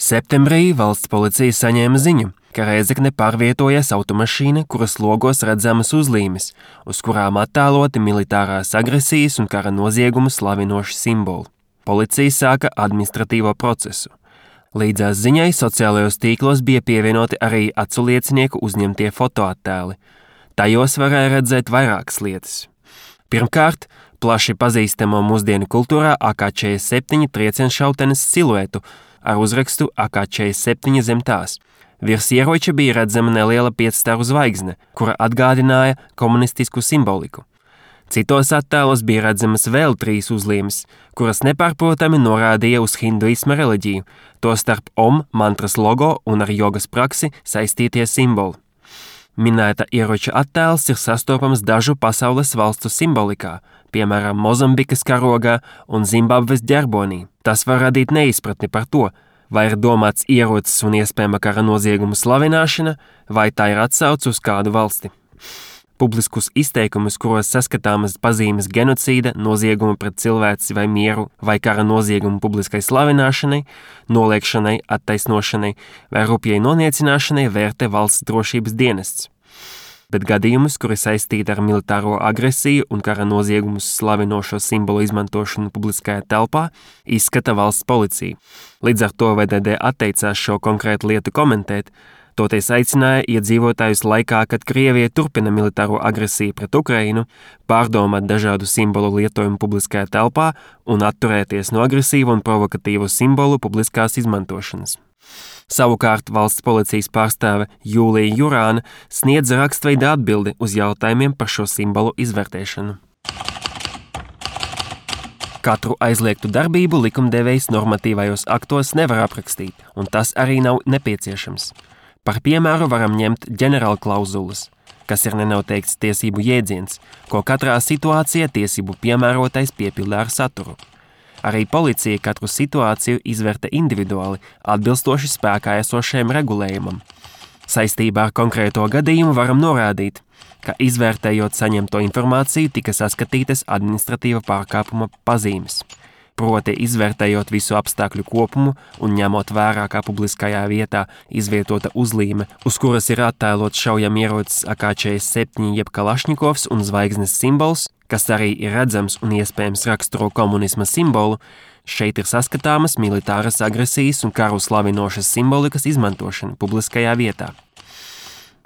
Septembrī valsts policija saņēma ziņu, ka Rēzekne pārvietojas automašīna, kuras logos redzamas uzlīmes, uz kurām attēloti militārās agresijas un kara noziegumu slavinoši simboli. Policija sāka administratīvo procesu. Līdzās ziņai sociālajos tīklos bija pievienoti arī aculiecinieku uzņemtie fotoattēli. Tajos varēja redzēt vairākas lietas. Pirmkārt, plaši pazīstamo mūsdienu kultūrā AK-47 triecienšautenes siluetu ar uzrakstu AK-47 zem tās. Virs ieroča bija redzama neliela 5-staru zvaigzne, kura atgādināja komunistisku simboliku. Citos attēlos bija redzamas vēl 3 uzlīmes, kuras nepārprotami norādīja uz hinduisma reliģiju, tostarp Om mantras logo un ar jogas praksi saistītie simboli. Minēta ieroča attēls ir sastopams dažu pasaules valstu simbolikā, piemēram, Mozambikas karogā un Zimbabves ģerbonī. Tas var radīt neizpratni par to, vai ir domāts ierocis un iespējama kara noziegumu slavināšana, vai tā ir atsauce uz kādu valsti. Publiskus izteikumus, kuros saskatāmas pazīmes genocīda, noziegumu pret cilvēci vai mieru, vai kara noziegumu publiskai slavināšanai, noliekšanai, attaisnošanai vai rupjai noniecināšanai vērtē valsts drošības dienests. Bet gadījumus, kuri saistīti ar militāro agresiju un kara noziegumus slavinošo simbolu izmantošanu publiskajā telpā, izskata valsts policija. Līdz ar to VDD atteicās šo konkrētu lietu komentēt, toties aicināja iedzīvotājus laikā, kad Krievija turpina militāro agresiju pret Ukrainu, pārdomāt dažādu simbolu lietojumu publiskajā telpā un atturēties no agresīvu un provokatīvu simbolu publiskās izmantošanas. Savukārt valsts policijas pārstāve Jūlija Jurāna sniedza rakstveida atbildi uz jautājumiem par šo simbolu izvērtēšanu. Katru aizliegtu darbību likumdevējs normatīvajos aktos nevar aprakstīt, un tas arī nav nepieciešams. Par piemēru varam ņemt ģenerāla klauzulas, kas ir nenoteikts tiesību jēdziens, ko katrā situācijā tiesību piemērotais piepildā ar saturu. Arī policija katru situāciju izvērta individuāli, atbilstoši spēkā esošajam regulējumam. Saistībā ar konkrēto gadījumu varam norādīt, ka izvērtējot saņemto informāciju tika saskatītas administratīva pārkāpuma pazīmes. Proti izvērtējot visu apstākļu kopumu un ņemot vērā, kā publiskajā vietā izvietota uzlīme, uz kuras ir attēlots šaujamierocis AK-47 jeb Kalašņikovs un zvaigznes simbols, kas arī ir redzams un iespējams raksturo komunisma simbolu, šeit ir saskatāmas militāras agresijas un karu slavinošas simbolikas izmantošana publiskajā vietā.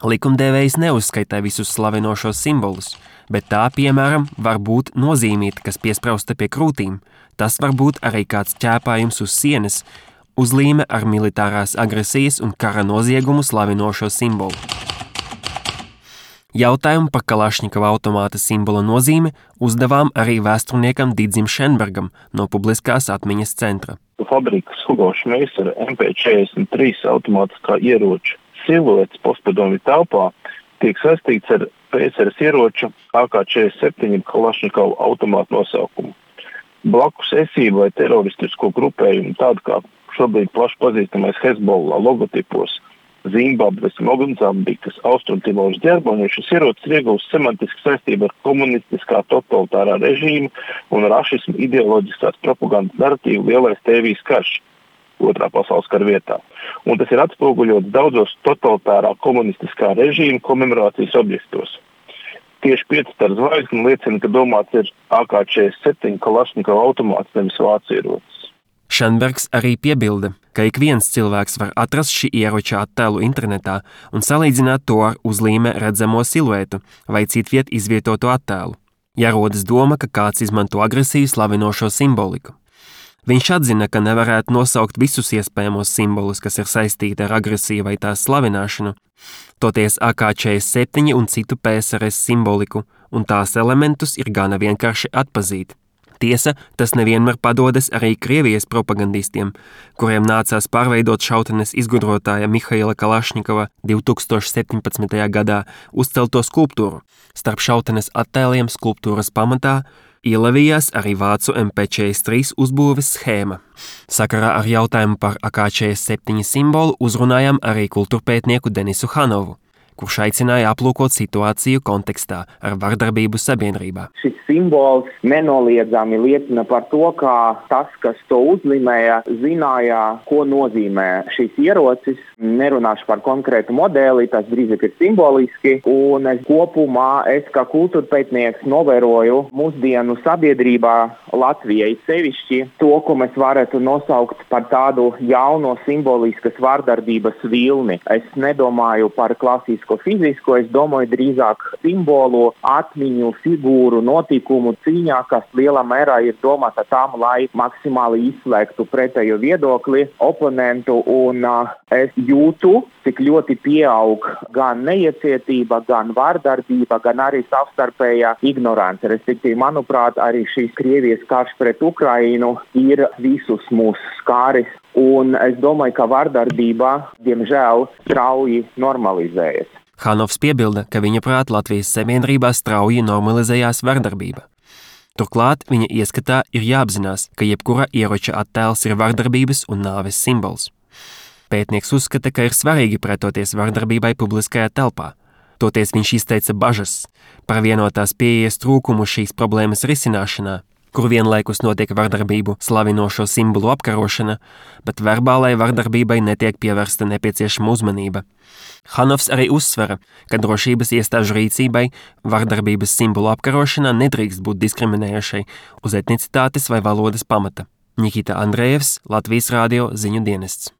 Likumdevējs neuzskaitā visus slavinošos simbolus, bet tā, piemēram, var būt nozīmīta, kas piesprausta pie krūtīm. Tas var būt arī kāds ķēpājums uz sienas, uzlīme ar militārās agresijas un kara noziegumu slavinošo simbolu. Jautājumu par Kalašņikova automāta simbola nozīmi uzdevām arī vēsturniekam Didzim Šenbergam no Publiskās atmiņas centra. Fabrikas Hugo Šmeisera MP43 automātiskā ieroča siluets postpadomju telpā tiek saistīts ar PSRS ieroča AK-47 Kalašņikova automāta nosaukumu. Blakus esību vai teroristisko grupējumu, tādu kā šobrīd plaši pazīstamais Hezbollah logotipos, Zimbabves, Mozambikas, Austrumtimoras ģerbonī, šis ierocis ir iegūst semantiski saistību ar komunistiskā totalitārā režīma un rašismu ideoloģiskās propagandas narratīvu Lielais Tēvijas karš Otrā pasaules kara vietā. Un tas ir atspoguļots daudzos totalitārā komunistiskā režīma komemorācijas objektos. Tieši 5-staru zvaigzne liecina, ka domāts ir AK-47 Kalašņikova automāts, nevis vācu ierocis. Šenbergs arī piebilda, ka ik viens cilvēks var atrast šī ieroča attēlu internetā un salīdzināt to ar uzlīme redzamo siluetu vai citviet izvietotu attēlu, ja rodas doma, ka kāds izmanto agresiju slavinošo simboliku. Viņš atzina, ka nevarētu nosaukt visus iespējamos simbolus, kas ir saistīti ar agresiju vai tās slavināšanu, toties AK-47 un citu PSRS simboliku, un tās elementus ir gana vienkārši atpazīt. Tiesa, tas nevienmēr padodas arī Krievijas propagandistiem, kuriem nācās pārveidot šautenes izgudrotāja Mihaila Kalašņikova 2017. gadā uzcelto skulptūru. Starp šautenes attēliem skulptūras pamatā ielavījās arī vācu MP43 uzbūves schēma. Sakarā ar jautājumu par AK-47 simbolu uzrunājām arī kultūrpētnieku Denisu Hanovu. kurš aicināja aplūkot situāciju kontekstā ar vardarbību sabiedrībā. Šis simbols nenoliedzami liecina par to, ka tas, kas to uzlīmēja, zināja, ko nozīmē šis ierocis. Nerunāšu par konkrētu modeli, tas drīzāk ir simboliski. Un kopumā es kā kultūrpētnieks novēroju mūsdienu sabiedrībā Latvijai sevišķi to, ko mēs varētu nosaukt par tādu jauno simboliskas vardarbības vilni. Es nedomāju par klasisko fizisko, es domāju drīzāk simbolu, atmiņu, figūru, notikumu cīņā, kas lielā mērā ir domāta tam, lai maksimāli izslēgtu pretējo viedokli, oponentu, un es jūtu, cik ļoti pieaug gan neiecietība, gan vardarbība, gan arī savstarpējā ignorance. Respektīvi, manuprāt, arī šīs Krievijas karš pret Ukrainu ir visus mūs skāris, un es domāju, ka vardarbība, diemžēl, strauji normalizējas. Hanovs piebilda, ka viņa prāt Latvijas sabiedrībā strauji normalizējās vardarbība. Turklāt viņa ieskatā ir jāapzinās, ka jebkura ieroča attēls ir vardarbības un nāves simbols. Pētnieks uzskata, ka ir svarīgi pretoties vardarbībai publiskajā telpā. Toties viņš izteica bažas par vienotās pieejas trūkumu šīs problēmas risināšanā, kur vienlaikus notiek vardarbību slavinošo simbolu apkarošana, bet verbālai vardarbībai netiek pievērsta nepieciešama uzmanība. Hanovs arī uzsvera, ka drošības iestāžu rīcībai vardarbības simbolu apkarošanā nedrīkst būt diskriminējošai uz etnicitātes vai valodas pamata. Nikita Andrejevs, Latvijas radio ziņu dienests.